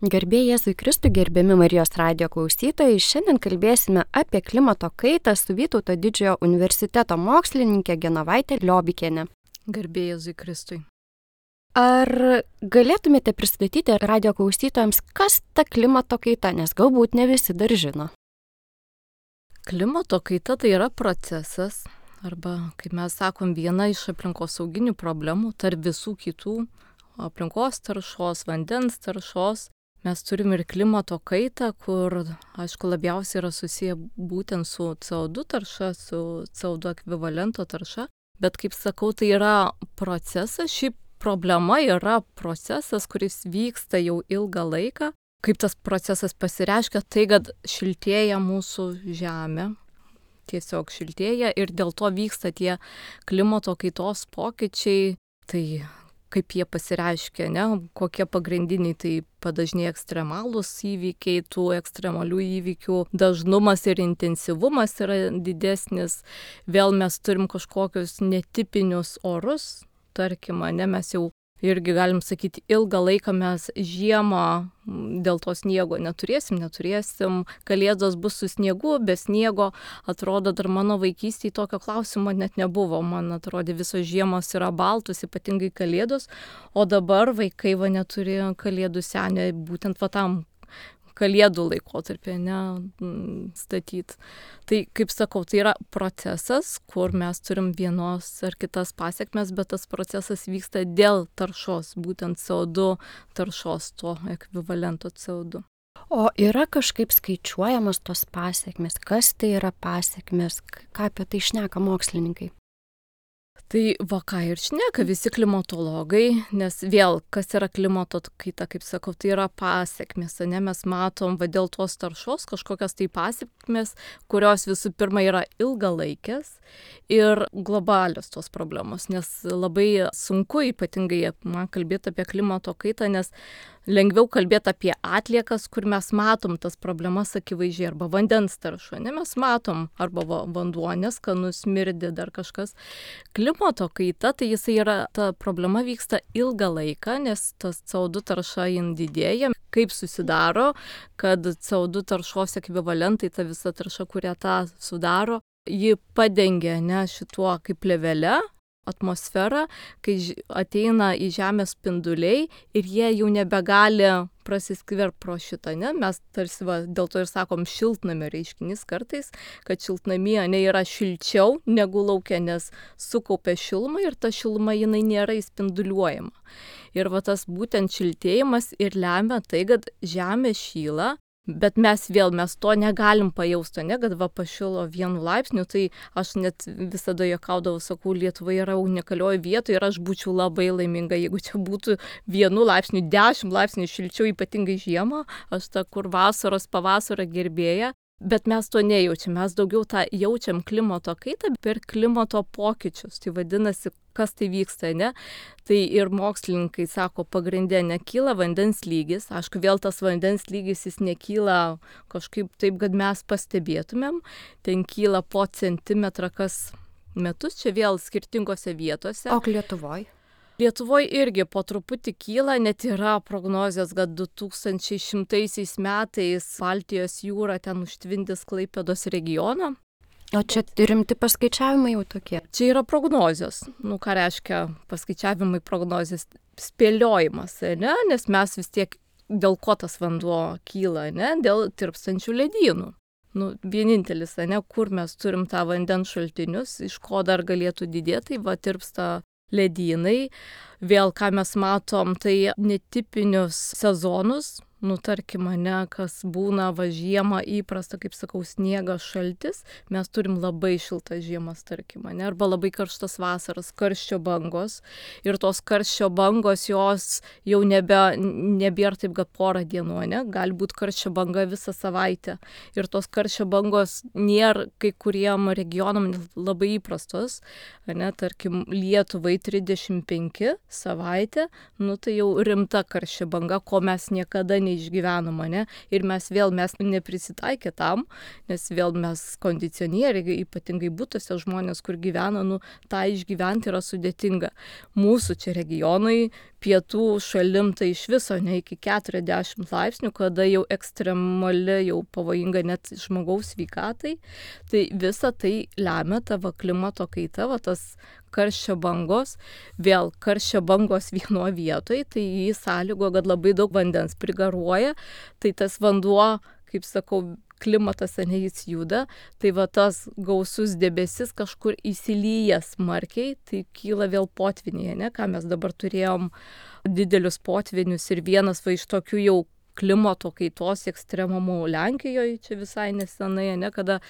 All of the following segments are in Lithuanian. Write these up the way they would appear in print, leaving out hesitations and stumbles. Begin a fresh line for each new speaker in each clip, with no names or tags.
Garbė Jėzui Kristui, gerbiami Marijos radijo klausytojai, šiandien kalbėsime apie klimato kaitą su Vytauto Didžiojo universiteto mokslininkė Genovaite Liobikiene.
Garbė Jėzui Kristui.
Ar galėtumėte pristatyti radijo klausytojams, kas ta klimato kaita, nes galbūt ne visi dar žino?
Klimato kaita tai yra procesas, arba, kaip mes sakom, viena iš aplinkosauginių problemų tarp visų kitų aplinkos taršos, vandens taršos. Mes turim ir klimato kaitą, kur, aišku, labiausiai yra susiję būtent su CO2 tarša, su CO2 ekvivalento tarša. Bet, kaip sakau, tai yra procesas. Ši problema yra procesas, kuris vyksta jau ilgą laiką. Kaip tas procesas pasireiškia, tai kad šiltėja mūsų žemė. Tiesiog šiltėja ir dėl to vyksta tie klimato kaitos pokyčiai. Tai kaip jie pasireiškia, kokie pagrindiniai, tai padažnėja ekstremalūs įvykiai, tų ekstremalių įvykių dažnumas ir intensyvumas yra didesnis. Vėl mes turim kažkokius netipinius orus, tarkim, mes jau irgi galim sakyti, ilgą laiką mes žiemą dėl to sniego neturėsim, kalėdos bus su sniegu, be sniego. Atrodo, dar mano vaikystėje tokio klausimo net nebuvo. Man atrodė, visos žiemos yra baltos, ypatingai kalėdos, o dabar vaikai neturi kalėdų senio, būtent tam kalėdų laikotarpį statyti. Tai, kaip sakau, tai yra procesas, kur mes turim vienos ar kitas pasekmes, bet tas procesas vyksta dėl taršos, būtent CO2 taršos, to ekvivalento CO2.
O yra kažkaip skaičiuojamos tos pasekmes? Kas tai yra pasekmes? Ką apie tai šneka mokslininkai?
Tai ką ir šneka visi klimatologai, nes vėl, kas yra klimato kaita, kaip sakau, tai yra pasekmės, mes matom dėl tos taršos kažkokias tai pasekmės, kurios visų pirma yra ilgalaikės ir globalios tos problemos, nes labai sunku ypatingai man kalbėti apie klimato kaitą, nes lengviau kalbėti apie atliekas, kur mes matom tas problemas akivaizdžiai, arba vandens taršą, mes matom, arba vanduo neskanus, smirdi, dar kažkas. Klimato kaita, tai ta problema vyksta ilgą laiką, nes tas CO2 tarša didėja. Kaip susidaro, kad CO2 taršos ekvivalentai, ta visa tarša, kurią tą sudaro, ji padengia šituo kaip plėvele atmosferą, kai ateina į Žemės spinduliai ir jie jau nebegali prasiskverbti pro šitą, Mes tarsi dėl to ir sakom šiltnamio reiškinys kartais, kad šiltnamyje yra šilčiau negu lauke, nes sukaupia šilumą ir ta šiluma jinai nėra įspinduliuojama. Ir tas būtent šiltėjimas ir lemia tai, kad Žemė šyla. Bet mes to negalim pajausti, kad pašilo 1 laipsniu, tai aš net visada juokaudavau, sakau, Lietuva yra unikalioje vietoje ir aš būčiau labai laiminga, jeigu čia būtų 1 laipsniu, 10 laipsnių šilčiau, ypatingai žiemą, aš kur vasaros, pavasario gerbėja. Bet mes to nejaučiam, mes daugiau tą jaučiam klimato kaitą per klimato pokyčius. Tai vadinasi, kas tai vyksta, Tai ir mokslininkai sako, pagrindė nekyla vandens lygis. Aišku, vėl tas vandens lygis jis nekyla kažkaip taip, kad mes pastebėtumėm. Ten kyla po centimetrą kas metus, čia vėl skirtingose vietose.
O Lietuvoje?
Lietuvoje irgi po truputį kyla, net yra prognozijos, kad 2100 metais Baltijos jūra ten užtvindys Klaipėdos regioną.
O čia rimti paskaičiavimai jau tokie?
Čia yra prognozijos. Ką reiškia paskaičiavimai, prognozijos? Spėliojimas, Nes mes vis tiek, dėl ko tas vanduo kyla, Dėl tirpstančių ledynų. Vienintelis, kur mes turim tą vandens šaltinius, iš ko dar galėtų didėti, tirpsta ledynai. Vėl, ką mes matom, tai netipinius sezonus, tarkim, kas būna žiemą įprasta, kaip sakau, sniegas, šaltis, mes turim labai šiltas žiemas, tarkim, arba labai karštas vasaras, karščio bangos. Ir tos karščio bangos, jos jau nebėra taip, kad porą dienų, gali būti karščio banga visą savaitę. Ir tos karščio bangos nėra kai kuriem regionam labai įprastos, tarkim, Lietuvai 35 savaitę, tai jau rimta karščio banga, ko mes niekada neišgyvenom, ir mes neprisitaikė tam, nes vėl mes kondicionieriai, ypatingai būtuose žmonės, kur gyvena, tą išgyventi yra sudėtinga. Mūsų čia regionai pietų šalim tai iš viso ne iki 40 laipsnių, kada jau ekstremali, jau pavojinga net žmogaus sveikatai. Tai visa tai lemia tavo klimato kaita, tas karščio bangos. Vėl karščio bangos vienoje vietoje, tai jį sąlygo, kad labai daug vandens prigaruoja, tai tas vanduo, kaip sakau, klimatas, jis juda, tai tas gausus debesis kažkur įsilyja smarkiai, tai kyla vėl potviniai, ką mes dabar turėjom didelius potvinius ir vienas iš tokių jau klimato kaitos ekstremumų Lenkijoje, čia visai nesenai, kada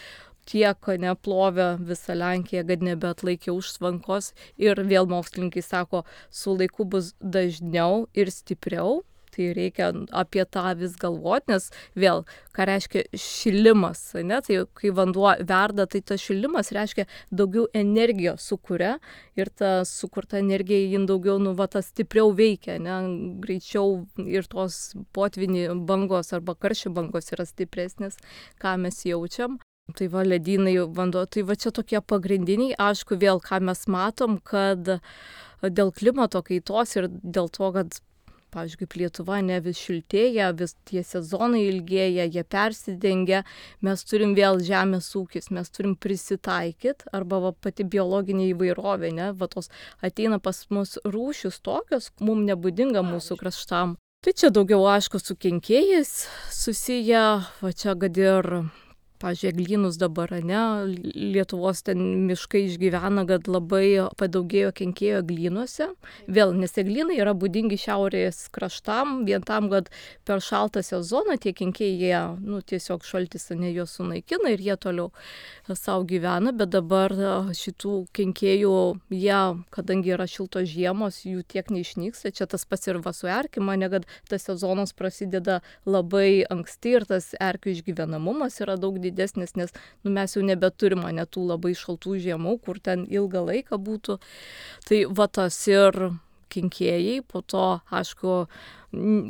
tiek neplovė visą Lenkiją, kad nebeatlaikė užtvankos ir vėl mokslininkai sako, su laiku bus dažniau ir stipriau. Tai reikia apie tą vis galvoti, nes vėl, ką reiškia šilimas, tai kai vanduo verda, tai tas šilimas reiškia daugiau energijos sukuria ir ta sukurta energija jin daugiau, tas stipriau veikia, greičiau ir tos potviniai bangos arba karščio bangos yra stipresnės, ką mes jaučiam. Tai ledynai, vanduo, tai čia tokie pagrindiniai, aišku, vėl ką mes matom, kad dėl klimato kaitos ir dėl to, kad pavyzdžiui, kaip Lietuva vis šiltėja, vis tie sezonai ilgėja, jie persidengia, mes turim vėl žemės ūkis, mes turim prisitaikyti, arba pati biologinė įvairovė, tos ateina pas mus rūšis tokios, mums nebūdinga mūsų kraštam. Tai čia daugiau, aišku, su kenkėjais susiję, čia kad ir pavyzdžiui, eglynus dabar, Lietuvos ten miškai išgyvena, kad labai padaugėjo kenkėjų eglynuose. Vėl, nes eglynai yra būdingi šiaurės kraštam, vien tam, kad per šaltą sezoną tie kenkėjai, tiesiog šaltis juos sunaikina ir jie toliau savo gyvena, bet dabar šitų kenkėjų, jie, kadangi yra šiltos žiemos, jų tiek neišnyksta. Čia tas pats ir su erkėm, kad tas sezonas prasideda labai anksti ir tas erkių išgyvenamumas yra daug didesnis, nes mes jau nebeturim tų labai šaltų žiemų, kur ten ilgą laiką būtų. Tai tas ir kenkėjai, po to, aišku,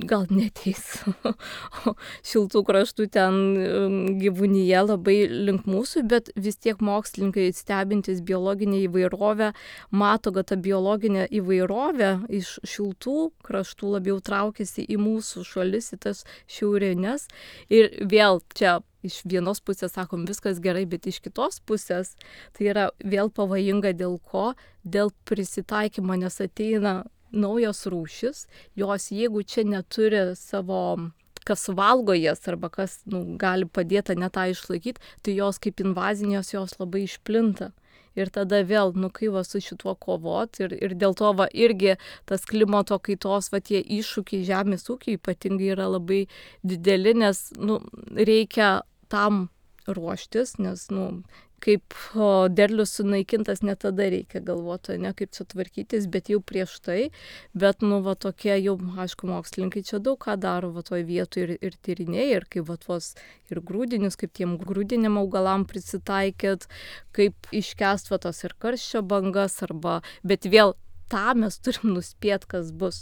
gal neteis šiltų kraštų ten gyvūnyje labai link mūsų, bet vis tiek mokslininkai stebintys biologinę įvairovę mato, kad ta biologinė įvairovė iš šiltų kraštų labiau traukiasi į mūsų šalis, į tas šiaurinės. Ir vėl čia iš vienos pusės sakom viskas gerai, bet iš kitos pusės tai yra vėl pavojinga dėl ko? Dėl prisitaikymo, nes ateina naujos rūšis, jos jeigu čia neturi savo, kas valgo jas arba kas gali padėti tą išlaikyti, tai jos kaip invazinės, jos labai išplinta. Ir tada vėl, kai su šituo kovot ir dėl to irgi tas klimato kaitos, tie iššūkiai žemės ūkiai ypatingai yra labai dideli, nes reikia tam ruoštis, nes kaip derlius sunaikintas, ne tada reikia galvoti, kaip čia tvarkytis, bet jau prieš tai, bet tokie jau, aišku, mokslininkai čia daug ką daro toj vietoj ir tyrinėja, ir kaip tuos ir grūdinius, kaip tiem grūdiniam augalam prisitaikyti, kaip iškęst tos ir karščio bangas, bet vėl tą mes turim nuspėti, kas bus.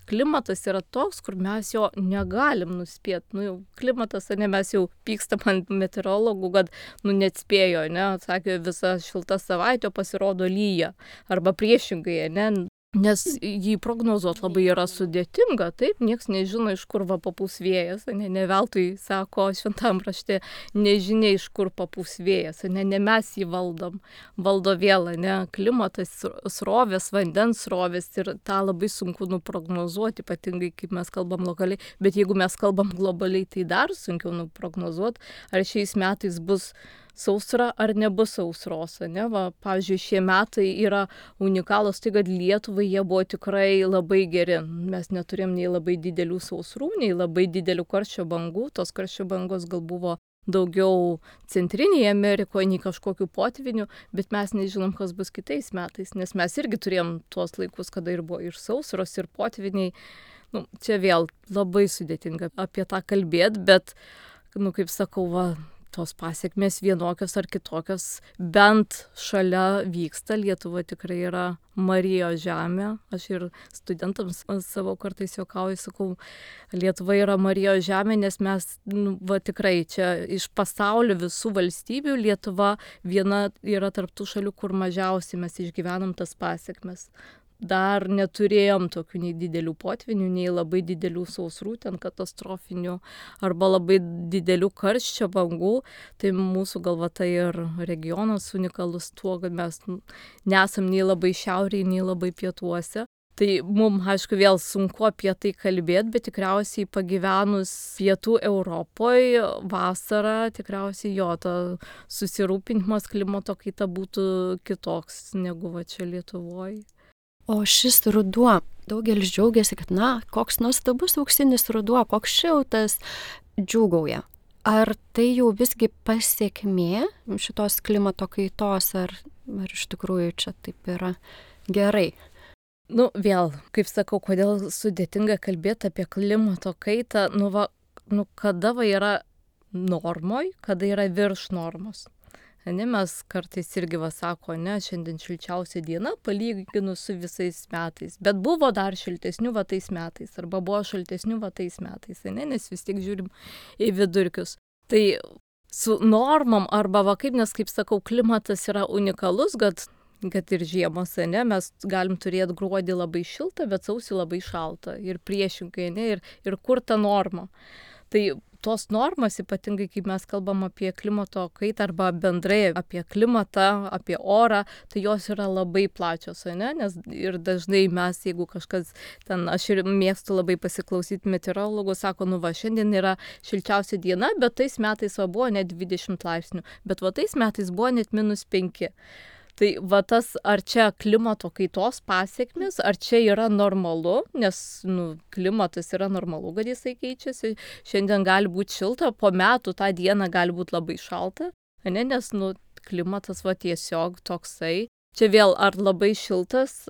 Klimatas yra toks, kur mes jo negalim nuspėti. Klimatas, mes jau pykstam ant meteorologų, kad neatspėjo, sakė, visa šilta savaitė pasirodo lyja. Arba priešingai, nes jį prognozuoti labai yra sudėtinga, taip, nieks nežino, iš kur papūs vėjas, ne veltui sako šventam rašte, nežinia, iš kur papūs vėjas, ne mes jį valdom, valdo vėl, klimatas, srovės, vandens srovės ir tą labai sunku nuprognozuoti, ypatingai kaip mes kalbam lokaliai, bet jeigu mes kalbam globaliai, tai dar sunkiau nuprognozuoti, ar šiais metais bus sausra ar nebus sausros, pavyzdžiui, šie metai yra unikalūs, tai kad Lietuvai jie buvo tikrai labai geri. Mes neturėjom nei labai didelių sausrų, nei labai didelių karščio bangų. Tos karščio bangos gal buvo daugiau Centrinėje Amerikoje, nei kažkokių potvinių, bet mes nežinom, kas bus kitais metais, nes mes irgi turėjom tuos laikus, kada ir buvo ir sausros, ir potviniai. Čia vėl labai sudėtinga apie tą kalbėti, bet, kaip sakau, tos pasiekmės vienokios ar kitokios bent šalia vyksta. Lietuva tikrai yra Marijos žemė. Aš ir studentams savo kartais juokauju, sakau, Lietuva yra Marijos žemė, nes mes tikrai čia iš pasaulio visų valstybių Lietuva viena yra tarp tų šalių, kur mažiausiai mes išgyvenam tas pasiekmes. dar neturėjom tokių nei didelių potvinių, nei labai didelių sausrų, ten katastrofinių, arba labai didelių karščio bangų. Tai mūsų galva tai ir regionas unikalus tuo, kad mes nesam nei labai šiaurėje, nei labai pietuose. Tai mums, aišku, vėl sunku apie tai kalbėti, bet tikriausiai pagyvenus pietų Europoje vasarą, tikriausiai jo ta susirūpinimas klimato kaita būtų kitoks negu va čia Lietuvoje.
O šis ruduo, daugelis džiaugiasi, kad, koks nuostabus auksinis ruduo, koks šiltas, džiūgauja. Ar tai jau visgi pasiekmė šitos klimato kaitos, ar iš tikrųjų čia taip yra gerai?
Vėl, kaip sakau, kodėl sudėtinga kalbėti apie klimato kaitą, kada yra normoj, kada yra virš normos. Mes kartais irgi sako, šiandien šilčiausia diena palyginus su visais metais, bet buvo dar šiltesnių tais metais, arba buvo šaltesnių tais metais, nes vis tiek žiūrim į vidurkius. Tai su normom, arba nes, kaip sakau, klimatas yra unikalus, kad ir žiemos, mes galim turėti gruodį labai šiltą, bet sausį labai šaltą, ir priešingai, ir kur ta norma. Tai tos normas, ypatingai kaip mes kalbam apie klimato kaitą arba bendrai apie klimatą, apie orą, tai jos yra labai plačios, nes ir dažnai mes, jeigu kažkas ten, aš ir mėgstu labai pasiklausyti meteorologų, sako, šiandien yra šilčiausia diena, bet tais metais buvo net 20 laipsnių, bet tais metais buvo net -5. Tai tas, ar čia klimato kaitos pasiekmes, ar čia yra normalu, nes klimatas yra normalu, kad jisai keičiasi. Šiandien gali būti šilta, po metų tą dieną gali būti labai šalta, nes klimatas tiesiog toksai. Čia vėl, ar labai šiltas,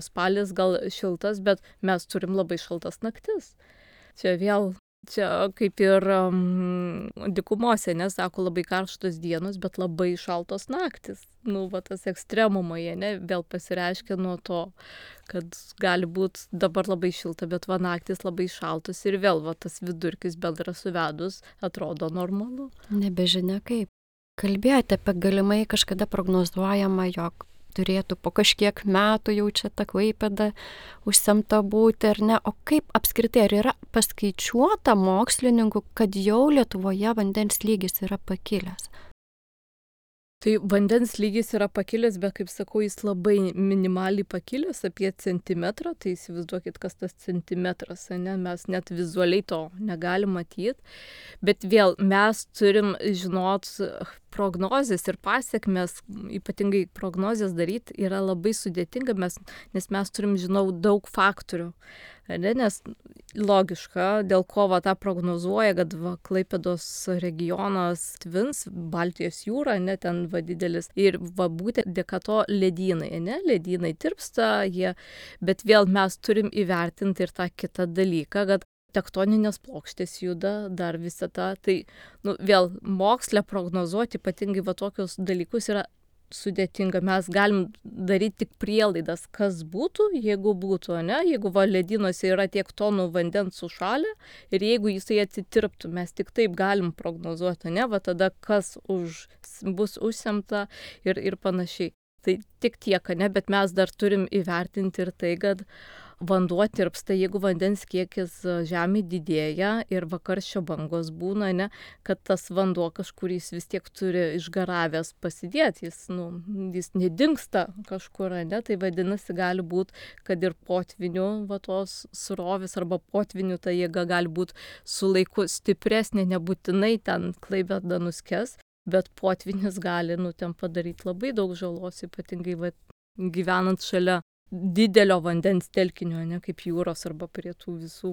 spalis gal šiltas, bet mes turim labai šaltas naktis. Čia kaip ir dykumose, sako, labai karštos dienos, bet labai šaltos naktis. Tas ekstremumai, vėl pasireiškia nuo to, kad gali būti dabar labai šilta, bet naktis labai šaltos ir vėl tas vidurkis bendras suvedus atrodo normalu.
Nebežinia kaip. Kalbėjote apie galimai kažkada prognozuojama, jog turėtų po kažkiek metų jau čia ta Klaipėda užsemta būti, ar ne? O kaip apskritai, ar yra paskaičiuota mokslininkų, kad jau Lietuvoje vandens lygis yra pakilęs?
Tai vandens lygis yra pakilęs, bet, kaip sakau, jis labai minimaliai pakilęs, apie centimetrą, tai įsivaizduokit, kas tas centimetras, mes net vizualiai to negalim matyti, bet vėl mes turim žinot prognozes ir pasiekmes, ypatingai prognozes daryti yra labai sudėtinga, nes mes turim daug faktorių, nes logiška, dėl ko tą prognozuoja, kad Klaipėdos regionas tvins, Baltijos jūra, ten didelis, ir būtent dėka to ledynai, ledynai tirpsta, bet vėl mes turim įvertinti ir tą kitą dalyką, kad tektoninės plokštės juda, dar visą tą, tai vėl moksle prognozuoti, ypatingai tokius dalykus yra sudėtinga. Mes galim daryti tik prielaidas, kas būtų, jeigu būtų, jeigu ledynuose yra tiek tonų vandens sušalę ir jeigu jisai atitirptų, mes tik taip galim prognozuoti, tada kas bus užsemta ir panašiai. Tai tik tiek, bet mes dar turim įvertinti ir tai, kad vanduo tirpsta, jeigu vandens kiekis žemėje didėja ir karščio bangos būna, kad tas vanduo kažkur jis vis tiek turi išgaravęs pasidėti, jis nedingsta kažkur, tai vadinasi gali būti, kad ir potvinių tos srovės arba potvinių ta jėga gali būti su laiku stipresnė, nebūtinai ten Klaipėda nuskes, bet potvinis gali ten padaryti labai daug žalos, ypatingai gyvenant šalia didelio vandens telkinio, kaip jūros arba prie tų visų.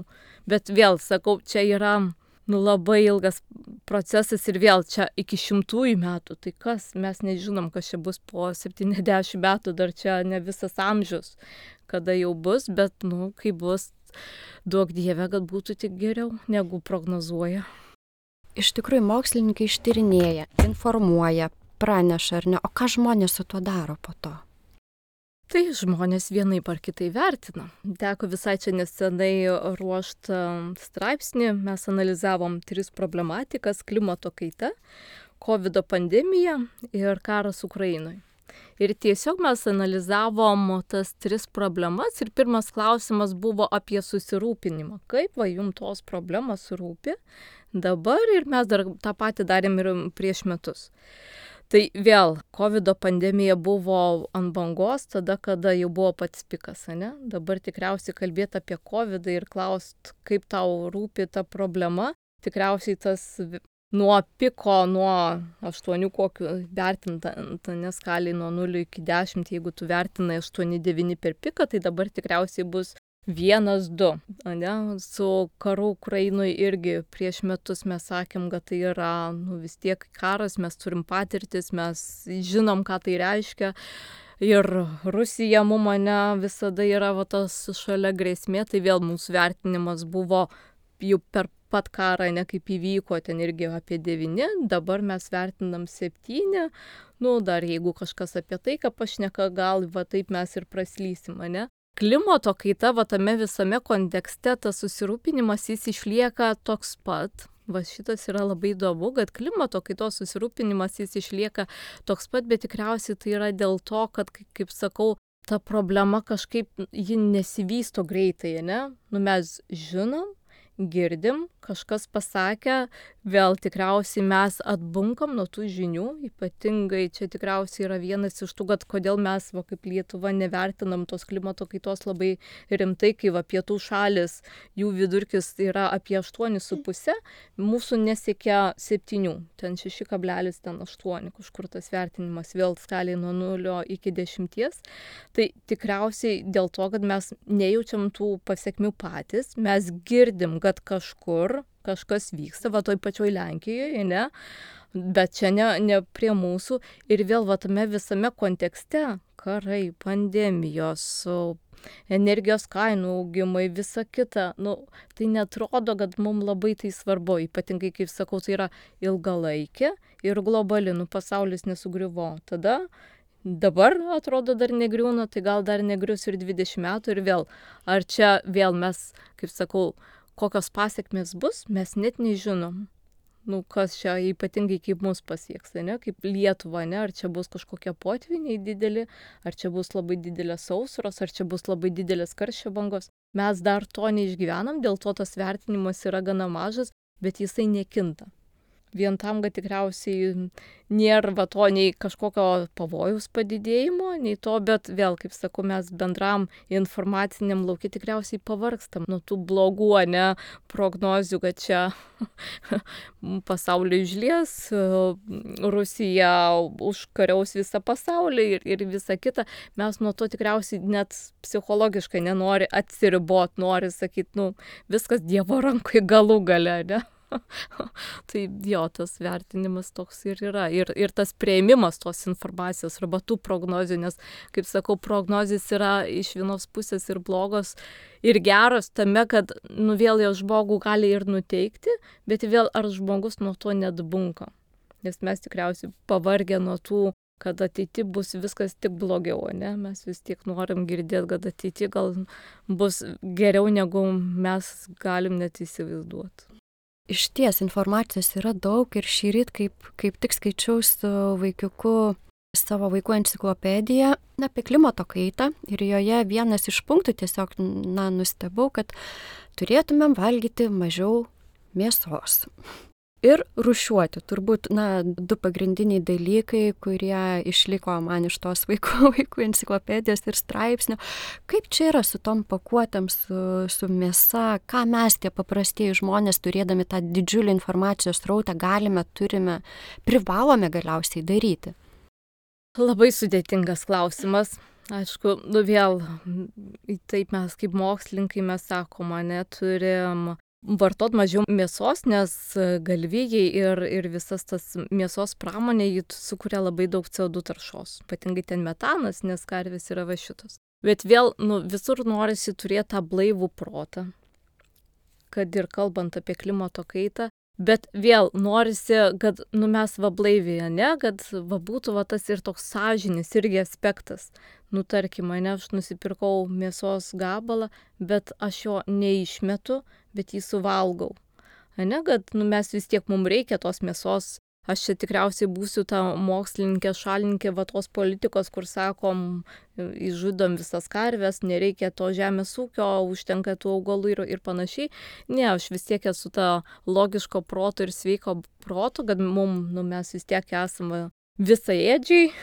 Bet vėl, sakau, čia yra labai ilgas procesas ir vėl čia iki 100 metų. Tai kas, mes nežinom, kas čia bus po 70 metų, dar čia ne visas amžius, kada jau bus, bet, kai bus, duok Dieve, kad būtų tik geriau, negu prognozuoja.
Iš tikrųjų, mokslininkai ištyrinėja, informuoja, praneša, ar ne? O ką žmonės su tuo daro po to?
Tai žmonės vienaip ar kitai vertina. Teko visai čia nesenai ruošti straipsnį, mes analizavom 3 problematikas: klimato kaita, COVID pandemija ir karas Ukrainoje. Ir tiesiog mes analizavom tas 3 problemas ir pirmas klausimas buvo apie susirūpinimą. Kaip va jums tos problemos rūpi dabar ir mes dar tą patį darėm ir prieš metus. Tai vėl, COVID pandemija buvo ant bangos tada, kada jau buvo pats pikas, ne? Dabar tikriausiai kalbėti apie COVID ir klaust, kaip tau rūpi ta problema. Tikriausiai tas nuo piko, nuo 8 kokių vertinta, neskaliai nuo 0 iki 10, jeigu tu vertinai 8-9 per piką, tai dabar tikriausiai bus 1-2. Ne? Su karu Ukrainoje irgi prieš metus mes sakėm, kad tai yra vis tiek karas, mes turim patirtis, mes žinom, ką tai reiškia. Ir Rusija mane visada yra tas šalia grėsmė, tai vėl mūsų vertinimas buvo jau per pat karą, ne kaip įvyko, ten irgi apie 9, dabar mes vertinam 7, dar jeigu kažkas apie tai, ką pašneka, gal va taip mes ir praslysim, ne? Klimato kaita, va tame visame kontekste, tas susirūpinimas jis išlieka toks pat. Va šitas yra labai įdomu, kad klimato kaitos susirūpinimas jis išlieka toks pat, bet tikriausiai tai yra dėl to, kad, kaip sakau, ta problema kažkaip ji nesivysto greitai, ne? Mes žinom, girdim, kažkas pasakė, vėl tikriausiai mes atbunkam nuo tų žinių, ypatingai čia tikriausiai yra vienas iš tų, kad kodėl mes kaip Lietuva nevertinam tos klimato kaitos labai rimtai, kai pietų šalis, jų vidurkis yra apie 8,5, mūsų nesiekia 7, ten 6,8, kažkur tas vertinimas vėl skaliai nuo 0 iki 10. Tai tikriausiai dėl to, kad mes nejaučiam tų pasiekmių patys, mes girdim, kad kažkas vyksta, va toj pačioj Lenkijoje, ne? Bet čia ne prie mūsų. Ir vėl va tame visame kontekste, karai, pandemijos, energijos kainų augimai, visa kita, tai netrodo, kad mums labai tai svarbu. Ypatingai, kaip sakau, tai yra ilgalaikė ir globali, pasaulis nesugriuvo. Tada dabar atrodo dar negriūna, tai gal dar negrius ir 20 metų ir vėl. Ar čia vėl mes, kaip sakau, kokios pasiekmės bus, mes net nežinom. Kas čia ypatingai kaip mus pasieks, ne? Kaip Lietuva, ne? Ar čia bus kažkokie potviniai dideli, ar čia bus labai didelės sausros, ar čia bus labai didelės karščio bangos. Mes dar to neišgyvenam, dėl to tas vertinimas yra gana mažas, bet jisai nekinta. Vien tam, kad tikriausiai nėra to nei kažkokio pavojaus padidėjimo, nei to, bet vėl, kaip sakau, mes bendram informaciniam lauke tikriausiai pavargstam nuo tų blogų, prognozių, kad čia pasaulį išlies, Rusija užkariaus visą pasaulį ir visa kita. Mes nuo to tikriausiai net psichologiškai nenori atsiribot, nori sakyti, viskas Dievo rankoje galų gale, ne? Tai jo, tas vertinimas toks ir yra. Ir tas priėmimas tos informacijos arba tų prognozių, nes, kaip sakau, prognozijas yra iš vienos pusės ir blogos, ir geros tame, kad vėl jau žmogų gali ir nuteikti, bet vėl ar žmogus nuo to nedbunka. Nes mes tikriausiai pavargę nuo tų, kad ateity bus viskas tik blogiau, ne? Mes vis tiek norim girdėti, kad ateity gal bus geriau, negu mes galim net įsivaizduoti.
Išties informacijos yra daug ir šįryt, kaip tik skaičiau su vaikiuku savo vaikų enciklopediją apie klimato kaitą ir joje vienas iš punktų tiesiog, nustebau, kad turėtumėm valgyti mažiau mėsos. Ir rūšiuoti. Turbūt, 2 pagrindiniai dalykai, kurie išliko man iš tos vaikų enciklopedijos ir straipsnių. Kaip čia yra su tom pakuotėm, su mėsa, ką mes tie paprastieji žmonės, turėdami tą didžiulį informacijos srautą, turime, privalome galiausiai daryti?
Labai sudėtingas klausimas. Aišku, vėl, taip mes kaip mokslininkai mes sakoma, turim vartot mažiau mėsos, nes galvijai ir visas tas mėsos pramonė, jį sukuria labai daug CO2 taršos. Ypatingai ten metanas, nes karvės yra va šitos. Bet vėl, visur norisi turėti tą blaivų protą, kad ir kalbant apie klimato kaitą. Bet vėl norisi, kad mes blaiviai, kad būtų tas ir toks sąžinis irgi aspektas. Tarkim, aš nusipirkau mėsos gabalą, bet aš jo neišmetu, bet jį suvalgau. Kad mes vis tiek mums reikia tos mėsos aš čia tikriausiai būsiu ta mokslininkė, šalininkė va tos politikos, kur sakom, išžudom visas karves, nereikia to žemės ūkio, užtenka tų augalų ir panašiai. Ne, aš vis tiek esu ta logiško proto ir sveiko proto, kad mes vis tiek esame visaėdžiai,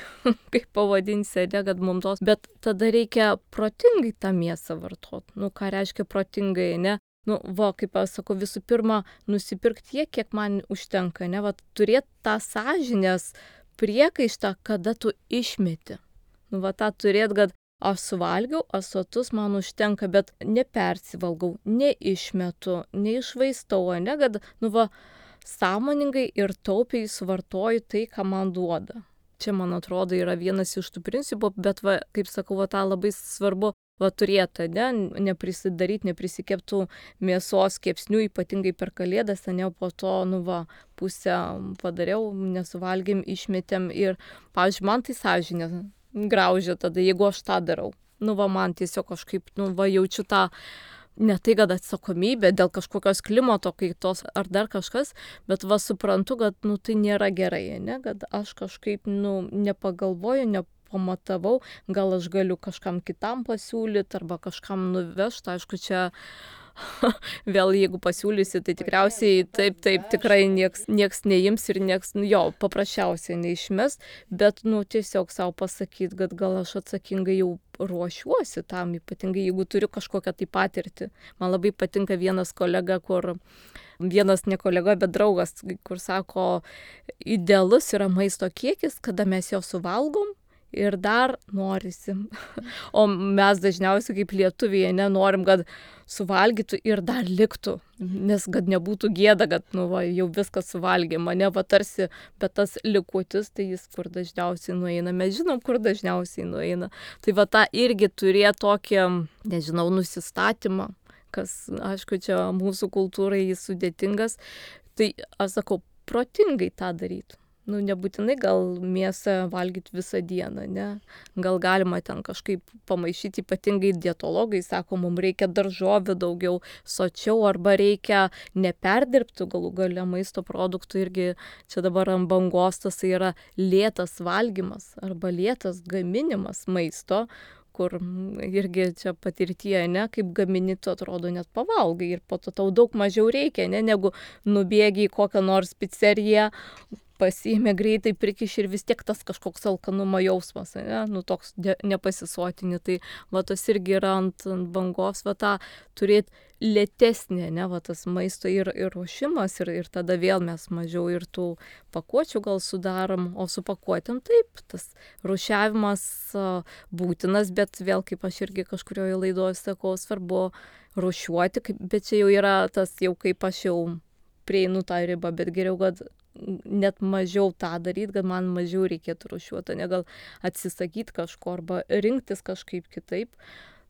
kaip pavadinsi, ne, kad mums tos, bet tada reikia protingai tą mėsą vartoti. Ką reiškia protingai, ne? Kaip aš sakau, visų pirma, nusipirkti tiek, kiek man užtenka, ne? Turėti tą sąžinės priekaištą, kada tu išmeti. Tą turėti, kad aš suvalgiau, aš sotus, man užtenka, bet nepersivalgau, neišmetu, neišvaistau, ne? Kad, sąmoningai ir taupiai suvartoju tai, ką man duoda. Čia, man atrodo, yra vienas iš tų principų, bet, kaip sakau, tą labai svarbu turėti, ne? Neprisidaryti, neprisikeptų mėsos kepsnių, ypatingai per Kalėdas, ne, po to, pusę padariau, nesuvalgėm, išmetėm ir, pavyzdžiui, man tai sąžinė graužia tada, jeigu aš tą darau. Man tiesiog kažkaip, jaučiu tą, ne tai, kad atsakomybė dėl kažkokios klimato kaitos ar dar kažkas, bet suprantu, kad tai nėra gerai, ne? Kad aš kažkaip nepagalvoju, nepamatavau, gal aš galiu kažkam kitam pasiūlyti arba kažkam nuvežti, aišku, čia vėl jeigu pasiūlysi, tai tikriausiai taip, tikrai nieks neims ir nieks, paprasčiausiai neišmes, bet tiesiog savo pasakyti, kad gal aš atsakingai jau ruošiuosi tam, ypatingai jeigu turiu kažkokią tai patirtį. Man labai patinka vienas kolega, vienas ne kolega, bet draugas, kur sako, idealus yra maisto kiekis, kada mes jo suvalgom ir dar norisi. O mes dažniausiai kaip lietuviai nenorim, kad suvalgytų ir dar liktų, nes kad nebūtų gėda, kad jau viską suvalgė mane, tarsi, bet tas likutis, tai jis kur dažniausiai nueina, mes žinom, kur dažniausiai nueina. Tai tą irgi turėjo tokį, nežinau, nusistatymą, kas, aišku, čia mūsų kultūrai jis sudėtingas, tai aš sakau, protingai tą daryti. Nebūtinai gal mėsą valgyti visą dieną, ne? Gal galima ten kažkaip pamaišyti, ypatingai dietologai sako, mums reikia daržovių daugiau, sočiau, arba reikia neperdirbti galų gale maisto produktų, irgi čia dabar ant bangos tas yra lėtas valgymas arba lėtas gaminimas maisto, kur irgi čia patirtyje, ne, kaip gamini, tu atrodo net pavalgai ir po to tau daug mažiau reikia, ne, negu nubėgi į kokią nors pizzeriją, pasiėmė greitai, prikiš ir vis tiek tas kažkoks alkanumo jausmas, ne, toks nepasisotini, tai tas irgi yra ant bangos, tą turėti lėtesnė, ne, tas maisto ir ruošimas ir tada vėl mes mažiau ir tų pakuočių gal sudarom, o su pakuotėm taip, tas rūšiavimas būtinas, bet vėl, kaip aš irgi kažkurioje laidoje sakau, svarbu rūšiuoti, bet čia jau yra tas, jau kaip aš jau prieinu tą ribą, bet geriau, kad net mažiau tą daryti, kad man mažiau reikėtų rūšiuoti, ne gal atsisakyti kažko arba rinktis kažkaip kitaip.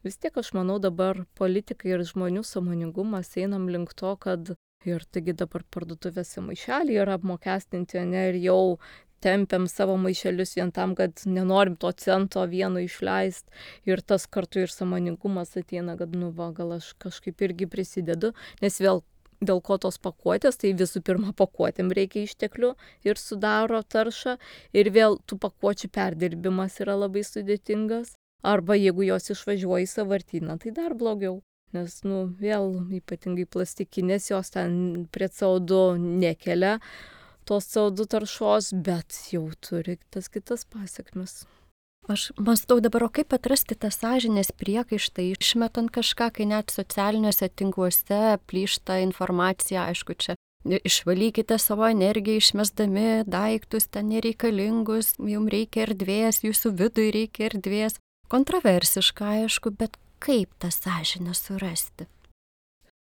Vis tiek aš manau dabar politikai ir žmonių sąmoningumas einam link to, kad ir taigi dabar parduotuvėse maišeliai yra apmokestinti, ne, ir jau tempiam savo maišelius vien tam, kad nenorim to cento vieno išleisti ir tas kartu ir sąmoningumas ateina, kad gal aš kažkaip irgi prisidedu, nes vėl dėl ko tos pakuotės, tai visų pirma pakuotėm reikia išteklių ir sudaro taršą ir vėl tų pakuočių perdirbimas yra labai sudėtingas, arba jeigu jos išvažiuoja į sąvartyną, tai dar blogiau, nes vėl ypatingai plastikinės jos ten prie CO2 nekelia tos CO2 taršos, bet jau turi tas kitas pasekmes.
Aš mąstau dabar, o kaip atrasti tą sąžinės priekaištą, išmetant kažką, kai net socialiniuose tinkluose plyšta informacija, aišku, čia išvalykite savo energiją, išmesdami daiktus ten nereikalingus, jums reikia erdvės, jūsų vidui reikia erdvės. Kontroversiška, aišku, bet kaip tą sąžinę surasti?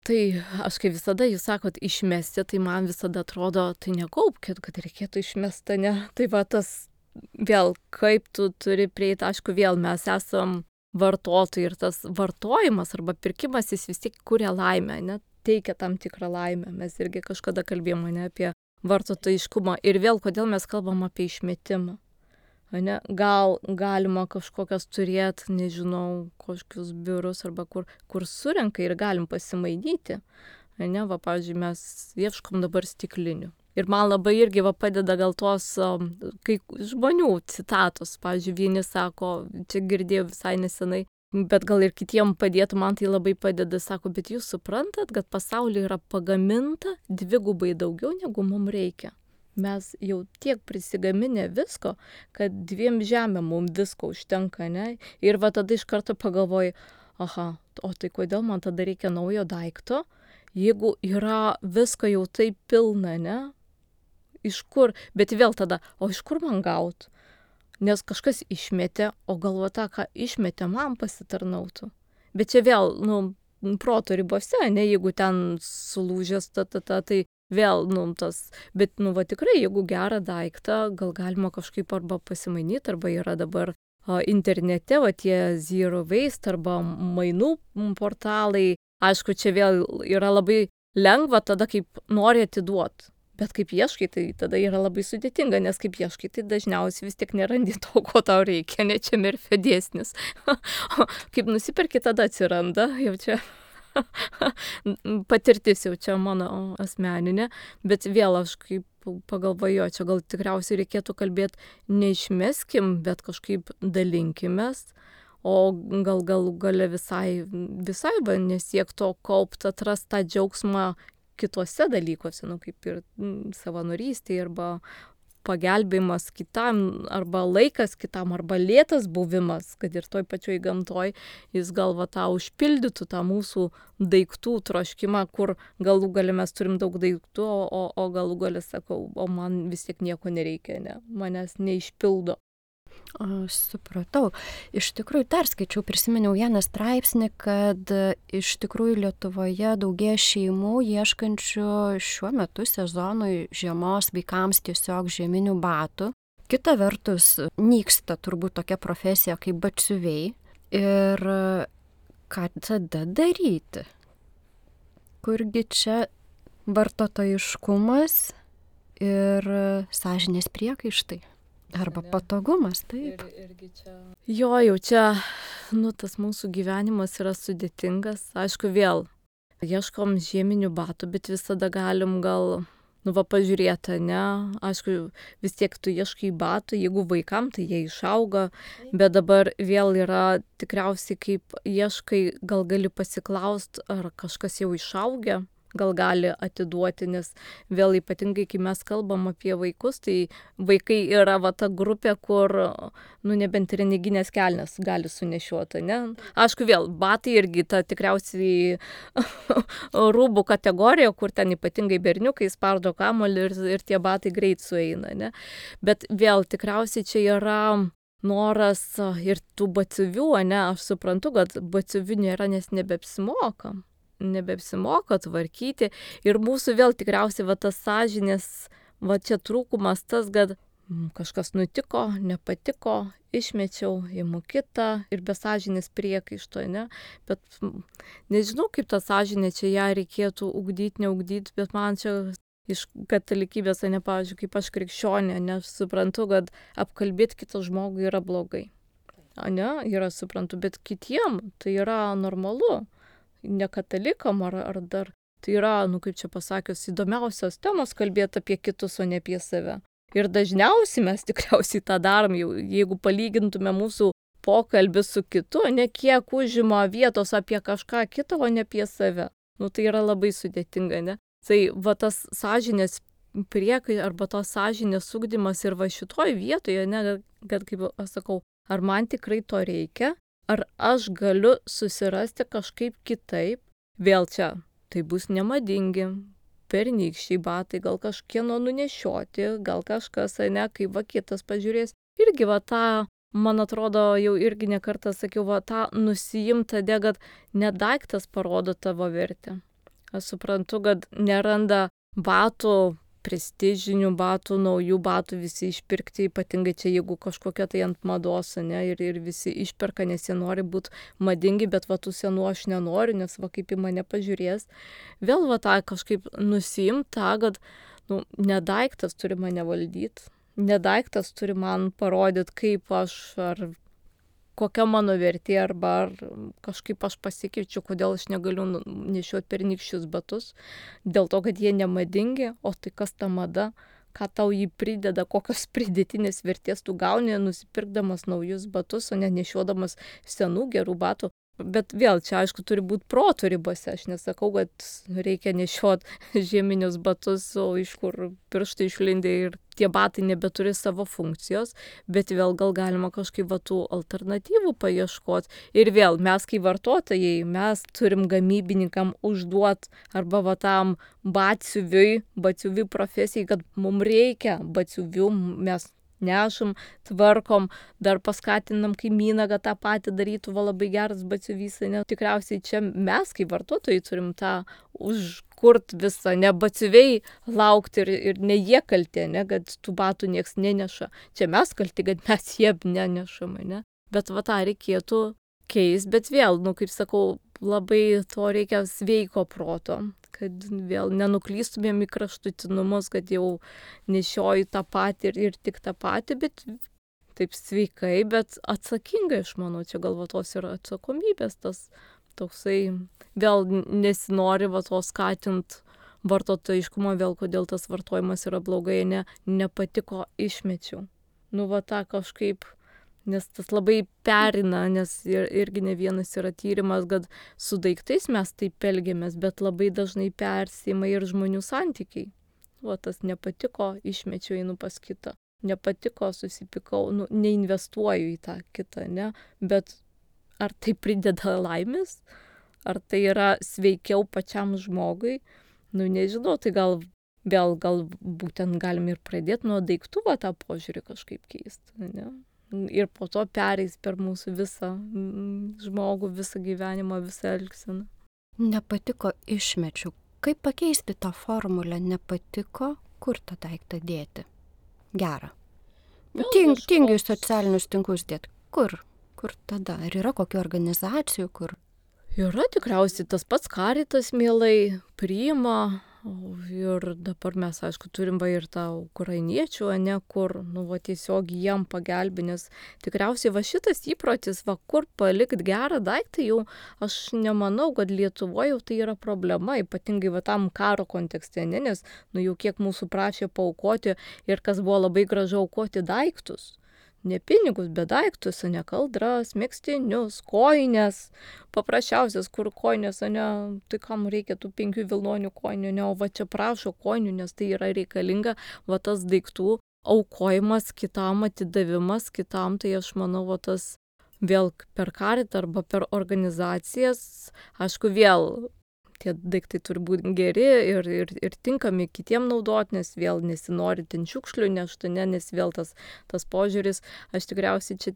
Tai aš kaip visada, jūs sakot, išmesti, tai man visada atrodo, tai nekaupkit, kad reikėtų išmesti, ne? Tai tas vėl, kaip tu turi prieiti, aišku, vėl mes esam vartotojai ir tas vartojimas arba pirkimas, jis vis tiek kuria laimę, ne, teikia tam tikrą laimę. Mes irgi kažkada kalbėjome, ne, apie vartotojiškumą ir vėl, kodėl mes kalbam apie išmetimą. Ne, gal galima kažkokias turėti, nežinau, kažkokius biurus arba kur surenka ir galim pasimainyti. Ne, pavyzdžiui, mes ieškom dabar stiklinių. Ir man labai irgi padeda gal tos kai žmonių citatos. Pavyzdžiui, vieni sako, čia girdėjau visai nesenai, bet gal ir kitiem padėtų, man tai labai padeda, sako, bet jūs suprantat, kad pasaulyje yra pagaminta 2 daugiau, negu mums reikia. Mes jau tiek prisigaminę visko, kad 2 žemėm mums visko užtenka, ne? Ir tada iš karto pagalvoju, aha, o tai kodėl man tada reikia naujo daikto, jeigu yra visko jau taip pilna, ne? Iš kur? Bet vėl tada, o iš kur man gaut? Nes kažkas išmetė, o galvo tą, ką išmetė, man pasitarnautų. Bet čia vėl, proto ribose, ne, jeigu ten sulūžęs, tai vėl, tas, bet, tikrai, jeigu gerą daiktą, gal galima kažkaip arba pasimainyti, arba yra dabar internete, tie Zero Waste arba mainų portalai. Aišku, čia vėl yra labai lengva tada, kaip nori atiduoti. Bet kaip ieškai, tai tada yra labai sudėtinga, nes kaip ieškai, tai dažniausiai vis tiek nerandi to, ko tau reikia, ne čia Merfio dėsnis. Kaip nusiperki, tada atsiranda, jau čia patirtis jau čia mano asmeninė, bet vėl aš kaip pagalvoju, čia gal tikriausiai reikėtų kalbėti, neišmeskim, bet kažkaip dalinkimės, o gal galų gale visai nesiek to kaupt, atrast tą džiaugsmą kituose dalykuose, kaip ir savanorystėje, arba pagelbėjimas kitam, arba laikas kitam, arba lėtas buvimas, kad ir toj pačioj gamtoj, jis gal tą užpildytų tą mūsų daiktų troškimą, kur galų gale mes turim daug daiktų, o galų gale sakau, o man vis tiek nieko nereikia, ne, manęs neišpildo.
Supratau. Iš tikrųjų, perskaičiau, prisiminiau vieną straipsnį, kad iš tikrųjų Lietuvoje daugėja šeimų ieškančių šiuo metu sezonui žiemos vaikams tiesiog žieminių batų. Kita vertus, nyksta turbūt tokia profesija kaip batsiuviai. Ir ką tada daryti? Kurgi čia vartotojiškumas ir sąžinės priekaištai? Arba patogumas, taip.
Jau čia, tas mūsų gyvenimas yra sudėtingas. Aišku, vėl ieškom žieminių batų, bet visada galim gal, pažiūrėti, ne? Aišku, vis tiek tu ieškai batų, jeigu vaikam, tai jie išauga, bet dabar vėl yra tikriausiai, kaip ieškai, gal gali pasiklausti, ar kažkas jau išaugę. Gal gali atiduoti, nes vėl ypatingai, kai mes kalbam apie vaikus, tai vaikai yra ta grupė, kur, nebent reneginės kelnes gali sunešiuoti, ne? Aišku, vėl, batai irgi ta tikriausiai rūbų kategorija, kur ten ypatingai berniukai spardo kamuolį ir tie batai greit sueina, ne? Bet vėl tikriausiai čia yra noras ir tų batsiuvių, ne? Aš suprantu, kad batsiuvių nėra, nes nebeapsimoka tvarkyti ir mūsų vėl tikriausiai tas sąžinės, čia trūkumas tas, kad kažkas nutiko, nepatiko, išmečiau, imu kitą ir be sąžinės priekaišto, ne? Bet nežinau, kaip tą sąžinę čia ją reikėtų ugdyti, neugdyti, bet man čia iš katalikybės, ne, pavyzdžiui, kaip aš krikščionė, nes suprantu, kad apkalbėti kitą žmogų yra blogai. Ne, yra suprantu, bet kitiem tai yra normalu. Ne katalikam ar dar, tai yra, kaip čia pasakius, įdomiausios temos kalbėti apie kitus, o ne apie save. Ir dažniausiai mes tikriausiai tą darom, jeigu palygintume mūsų pokalbį su kitu, ne kiek užima vietos apie kažką kitą, o ne apie save. Tai yra labai sudėtinga, ne? Tai tas sąžinės priekai arba tos sąžinės ugdymas ir šitoj vietoje, ne, kad kaip aš sakau, ar man tikrai to reikia? Ar aš galiu susirasti kažkaip kitaip? Vėl čia, tai bus nemadingi, pernykščiai batai, gal kažkieno nunešioti, gal kažkas, ne, kaip kitas pažiūrės. Irgi tą, man atrodo, jau irgi nekartą sakiau, tą nusiimtą, kad nedaiktas parodo tavo vertę. Aš suprantu, kad neranda batų, prestižinių batų, naujų batų visi išpirkti, ypatingai čia, jeigu kažkokia tai ant mados, ne, ir visi išperka, nes jie nori būti madingi, bet tų senų aš nenoriu, nes kaip į mane pažiūrės. Vėl tą kažkaip nusiimta, kad nedaiktas turi mane valdyti, nedaiktas turi man parodyti, kaip aš, ar kokia mano vertė, arba ar kažkaip aš pasikeičiu, kodėl aš negaliu nešioti pernykščius batus, dėl to, kad jie nemadingi, o tai kas ta mada, ką tau jį prideda, kokios pridėtinės vertės tu gauni, nusipirkdamas naujus batus, o ne nešiodamas senų gerų batų. Bet vėl čia, aišku, turi būti proto ribose. Aš nesakau, kad reikia nešiot žieminius batus, o iš kur pirštai išlindė ir tie batai nebeturi savo funkcijos, bet vėl gal galima kažkaip tų alternatyvų paieškoti. Ir vėl mes, kaip vartotojai, mes turim gamybininkam užduot arba tam batsiuviui profesijai, kad mums reikia batsiuvių, mes nešam, tvarkom, dar paskatinam kaimyną, kad tą patį darytų, labai geras batsiuvys, ne? Tikriausiai čia mes, kaip vartotojai, turim tą užkurt visą, ne batsiuviai laukti ir ne jie kalti, ne, kad tų batų nieks neneša. Čia mes kalti, kad mes jie nenešam, ne? Bet tą reikėtų keist, bet vėl, kaip sakau, labai to reikia sveiko proto, kad vėl nenuklystumėm į kraštutinumus, kad jau nešioju tą patį ir tik tą patį, bet taip sveikai, bet atsakingai, aš manau, čia galvotos yra atsakomybės, tas toksai, vėl nesinori to skatint vartotojiškumą, vėl kodėl tas vartojimas yra blogai, nepatiko išmečiau. Tą kažkaip, nes tas labai perina, nes irgi ne vienas yra tyrimas, kad su daiktais mes taip elgiamės, bet labai dažnai persima ir žmonių santykiai. Tas nepatiko, išmečiau, einu pas kitą. Nepatiko, susipykau, neinvestuoju į tą kitą, ne? Bet ar tai prideda laimės? Ar tai yra sveikiau pačiam žmogui? Nežinau, tai gal būtent galim ir pradėti nuo daiktų tą požiūrį kažkaip keisti, ne? Ir po to pereis per mūsų visą žmogų, visą gyvenimą, visą elgseną.
Nepatiko, išmečiau. Kaip pakeisti tą formulę? Nepatiko, kur tą daiktą dėti? Gerą. Tingiai socialinius tinklus dėti. Kur tada? Ar yra kokių organizacijų, kur?
Yra tikriausiai tas pats Caritas mielai priima. Ir dabar mes, aišku, turim ir tą ukrainiečių, kur, tiesiog jiem pagelbė, nes tikriausiai šitas įprotis, kur palikt gerą daiktą, jau aš nemanau, kad Lietuvoje jau tai yra problema, ypatingai tam karo kontekste, nes, jau kiek mūsų prašė paaukoti ir kas buvo labai gražu aukoti daiktus. Ne pinigus, bet daiktus, ne kaldras, megztinius, kojines, paprasčiausias, kur kojinės, tai kam reikia tų 5 vilnonių kojinių, o čia prašo kojinių, nes tai yra reikalinga, tas daiktų aukojimas kitam, atidavimas kitam, tai aš manau, tas vėl per Caritą arba per organizacijas, aišku, vėl tie daiktai turi būti geri ir tinkami kitiem naudoti, nes vėl nesinori ten šiukšlių nešti, nes vėl tas požiūris, aš tikriausiai čia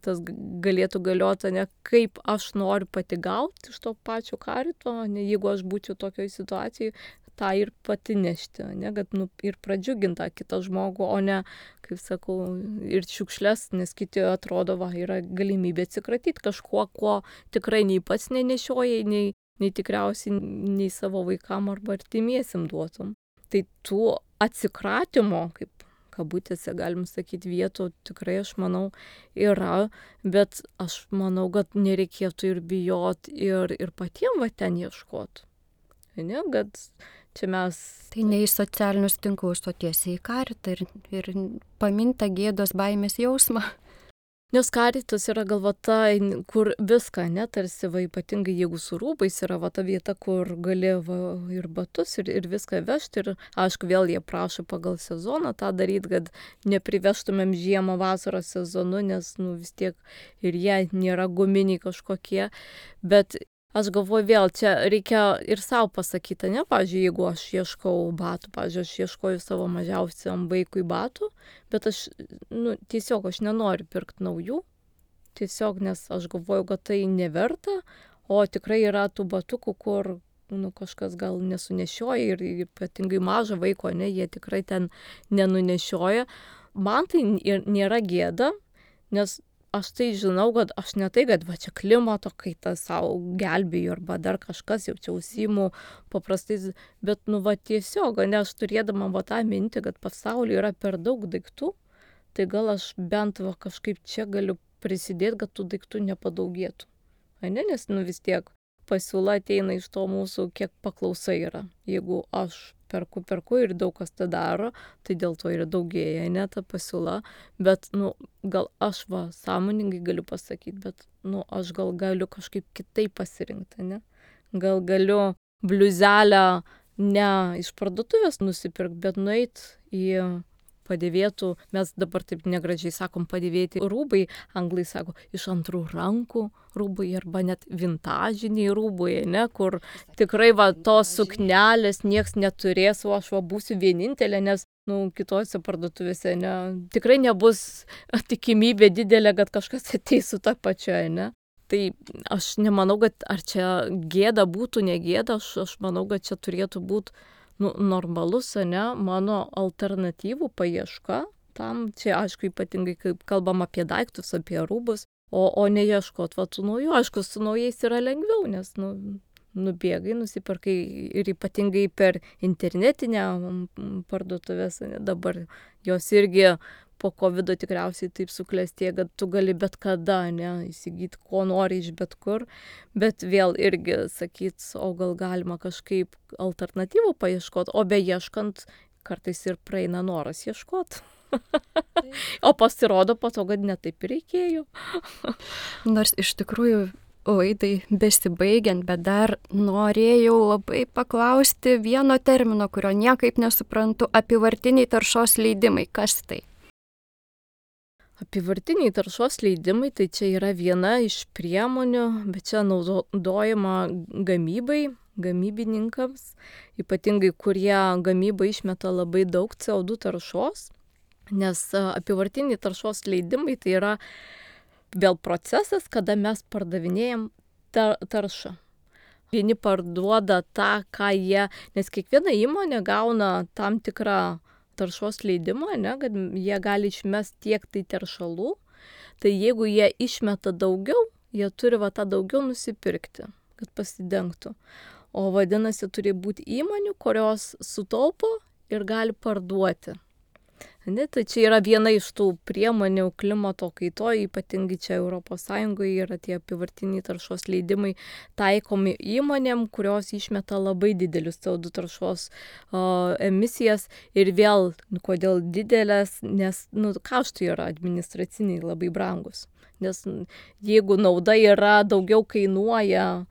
tas galėtų galioti, kaip aš noriu pati gauti iš to pačio Carito, jeigu aš būčiau tokioj situacijai, tą ir pati nešti, kad ir pradžiugintą kitą žmogų, o ne, kaip sakau, ir šiukšles, nes kiti atrodo, yra galimybė atsikratyti kažkuo, ko tikrai nei pats nenešioja, nei tikriausiai nei savo vaikam arba artimiesim duotum. Tai tų atsikratymo, kaip kabutėse galim sakyti, vietų tikrai, aš manau, yra, bet aš manau, kad nereikėtų ir bijot ir patiem ten ieškot. Ne, kad čia mes...
Tai ne į socialinius tinklus, o tiesiai į Caritą ir paminta gėdos baimės jausmą.
Nes Caritas yra galvota, kur viską, tarsi, ypatingai jeigu su rūbais yra ta vieta, kur gali ir batus, ir viską vežti. Ir aišku, vėl jie prašo pagal sezoną tą daryti, kad neprivežtumėm žiemą vasaros sezonu, nes vis tiek ir jie nėra guminiai kažkokie. Bet aš galvoju, vėl čia reikia ir savo pasakyti, pavyzdžiui, jeigu aš ieškau batų, pavyzdžiui, aš ieškoju savo mažiausiam vaikui batų, bet aš, tiesiog aš nenoriu pirkti naujų, tiesiog, nes aš galvoju, kad tai neverta, o tikrai yra tų batukų, kur, kažkas gal nesunešioja ir ypatingai mažo vaiko, jie tikrai ten nenunešioja. Man tai nėra gėda, nes aš tai žinau, kad aš ne tai, kad čia klimato kaita savo gelbėju arba dar kažkas, jau čia užsiimu paprastais, bet tiesiog, aš turėdama tą mintį, kad pasaulyje yra per daug daiktų, tai gal aš bent kažkaip čia galiu prisidėti, kad tų daiktų nepadaugėtų. Ane, nes vis tiek pasiūla ateina iš to mūsų, kiek paklausa yra. Jeigu aš perku ir daug kas tą daro, tai dėl to ir daugėja, ne ta pasiūla. Bet, gal aš sąmoningai galiu pasakyti, bet, aš gal galiu kažkaip kitaip pasirinkti, ne? Gal galiu bliuzelę ne iš parduotuvės nusipirkti, bet nueit į padėvėtų, mes dabar taip negražiai sakom padėvėti rūbai, anglai sako, iš antrų rankų rūbai arba net vintažiniai rūbai, ne, kur tikrai tos suknelės nieks neturės, o aš būsiu vienintelė, nes, kitose parduotuvėse, ne, tikrai nebus tikimybė didelė, kad kažkas ateis su ta pačia, ne. Tai aš nemanau, kad ar čia gėda būtų, negėda, aš manau, kad čia turėtų būti normalus, ne, mano alternatyvų paieška tam, čia aišku ypatingai, kaip kalbam apie daiktus, apie rūbus, o neieškot tų naujų, aišku, su naujais yra lengviau, nes, nubėgai, nusipirkai ir ypatingai per internetinę parduotuvės, dabar jos irgi po COVID tikriausiai taip suklestė, kad tu gali bet kada, ne, įsigyti, ko nori iš bet kur, bet vėl irgi sakyt, o gal galima kažkaip alternatyvų paieškot, o beieškant kartais ir praeina noras ieškot. O pasirodo po to, kad netaip ir reikėjo.
Nors iš tikrųjų laidai besibaigiant, bet dar norėjau labai paklausti vieno termino, kurio niekaip nesuprantu, apyvartiniai taršos leidimai. Kas tai?
Apyvartiniai taršos leidimai, tai čia yra viena iš priemonių, bet čia naudojama gamybininkams, ypatingai kurie gamybą išmeta labai daug CO2 taršos, nes apyvartiniai taršos leidimai tai yra vėl procesas, kada mes pardavinėjam taršą. Vieni parduoda tą, ką jie, nes kiekviena įmonė gauna tam tikrą taršos leidimą, ne, kad jie gali išmesti tiek tai teršalų, tai jeigu jie išmeta daugiau, jie turi tą daugiau nusipirkti, kad pasidengtų. O vadinasi, turi būti įmonių, kurios sutaupo ir gali parduoti. Ne, tai čia yra viena iš tų priemonių klimato kaitoje, ypatingai čia ES yra tie apyvartiniai taršos leidimai taikomi įmonėm, kurios išmeta labai didelius CO2 taršos emisijas ir vėl, kodėl didelės, nes kaštai yra administraciniai labai brangus. Nes jeigu nauda yra daugiau kainuoja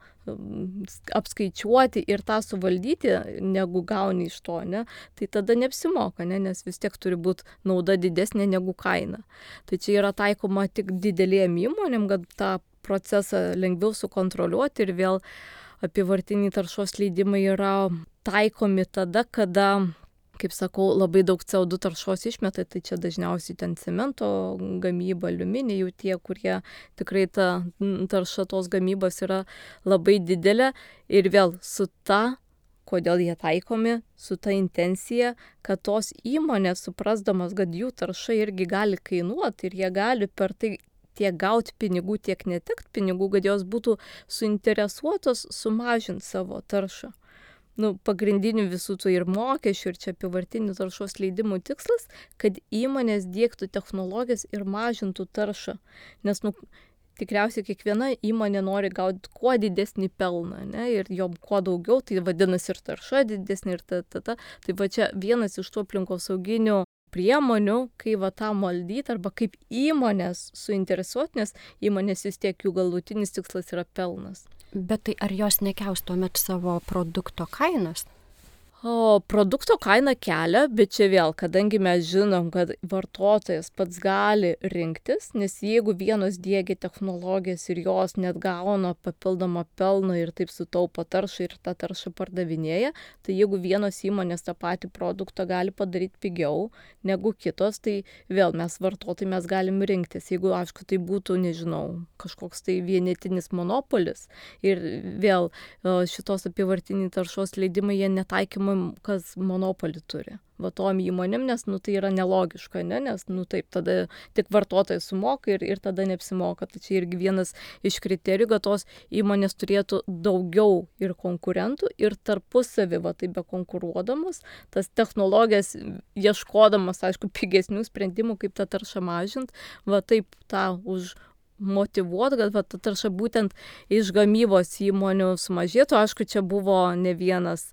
apskaičiuoti ir tą suvaldyti, negu gauni iš to, ne, tai tada neapsimoka, ne, nes vis tiek turi būti nauda didesnė negu kaina. Tai čia yra taikoma tik didelėm įmonėm, kad tą procesą lengviau sukontroliuoti ir vėl apyvartiniai taršos leidimai yra taikomi tada, kada, kaip sakau, labai daug CO2 taršos išmeta, tai čia dažniausiai ten cemento gamyba, aliuminijų tie, kurie tikrai ta tarša tos gamybos yra labai didelė ir vėl su ta, kodėl jie taikomi, su ta intencija, kad tos įmonės suprasdamas, kad jų tarša irgi gali kainuoti ir jie gali per tai tiek gauti pinigų, tiek netekti pinigų, kad jos būtų suinteresuotos sumažinti savo taršą. Pagrindinių visų tų ir mokesčių, ir čia apyvartinių taršos leidimų tikslas, kad įmonės diegtų technologijas ir mažintų taršą. Nes, tikriausiai kiekviena įmonė nori gauti kuo didesnį pelną, ne, ir jom kuo daugiau, tai vadinasi ir tarša didesnė, ir ta. Tai čia vienas iš tų aplinkosauginių priemonių, kai tą valdyti, arba kaip įmonės suinteresuoti, nes įmonės vis tiek jų galutinis tikslas yra pelnas.
Bet tai ar jos nekels tuomet savo produkto kainas?
O produkto kaina kelia, bet čia vėl, kadangi mes žinom, kad vartotojas pats gali rinktis, nes jeigu vienos diegia technologijas ir jos net gauna papildomą pelną ir taip sutaupo taršą ir tą taršą pardavinėja, tai jeigu vienos įmonės tą patį produktą gali padaryti pigiau negu kitos, tai vėl mes vartotojai mes galim rinktis. Jeigu, aišku, tai būtų, nežinau, kažkoks tai vienetinis monopolis ir vėl šitos apyvartiniai taršos leidimai jie netaikymai kas monopolį turi. Tom įmonėm, nes tai yra nelogiška, ne? Nes taip, tada tik vartotojai sumoka ir tada neapsimoka. Tai čia irgi vienas iš kriterijų, kad tos įmonės turėtų daugiau ir konkurentų ir tarpusavį, taip bekonkuruodamas, tas technologijas ieškodamas, aišku, pigesnių sprendimų, kaip tą taršą mažinti, taip tą motyvuoti, kad ta tarša būtent iš gamybos įmonių sumažėtų. Aišku, čia buvo ne vienas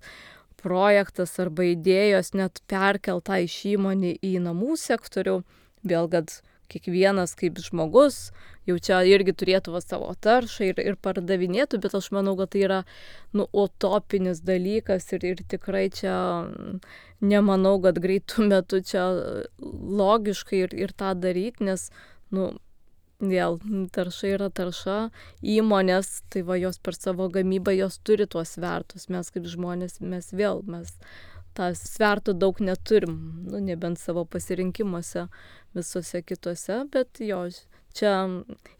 projektas arba idėjos net perkelta iš įmonį į namų sektorių. Vėl, kad kiekvienas kaip žmogus jau čia irgi turėtų savo taršą ir pardavinėtų, bet aš manau, kad tai yra utopinis dalykas ir tikrai čia nemanau, kad greitų metų čia logiškai ir tą daryti, nes, vėl, tarša yra tarša, įmonės, tai jos per savo gamybą, jos turi tuos svertus, mes kaip žmonės, mes tą svertų daug neturim, nebent savo pasirinkimuose visose kitose, bet čia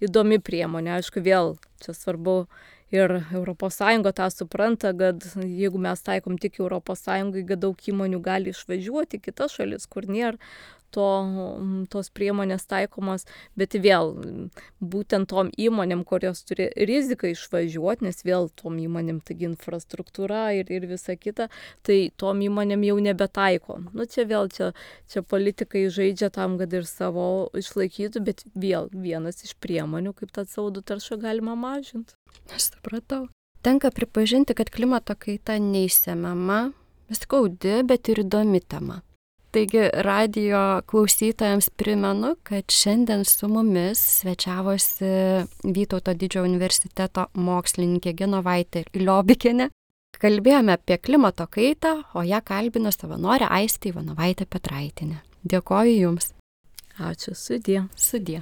įdomi priemonė, aišku, vėl čia svarbu ir ES tą supranta, kad jeigu mes taikom tik ES, kad daug įmonių gali išvažiuoti į kitas šalis, kur nėra tos priemonės taikomos, bet vėl būtent tom įmonėm, kurios turi riziką išvažiuoti, nes vėl tom įmonėm taigi infrastruktūra ir visa kita, tai tom įmonėm jau nebetaiko. Čia politikai žaidžia tam, kad ir savo išlaikytų, bet vėl vienas iš priemonių, kaip tą CO2 taršą galima mažinti.
Aš supratau. Tenka pripažinti, kad klimato kaita neišsemiama, skaudi, bet ir įdomi tema. Taigi radijo klausytojams primenu, kad šiandien su mumis svečiavosi Vytauto Didžiojo universiteto mokslininkė Genovaitė Liobikienė. Kalbėjome apie klimato kaitą, o ją kalbino savanorė Aistė Ivanovaitė Petraitienė. Dėkoju Jums.
Ačiū, sudie.
Sudie.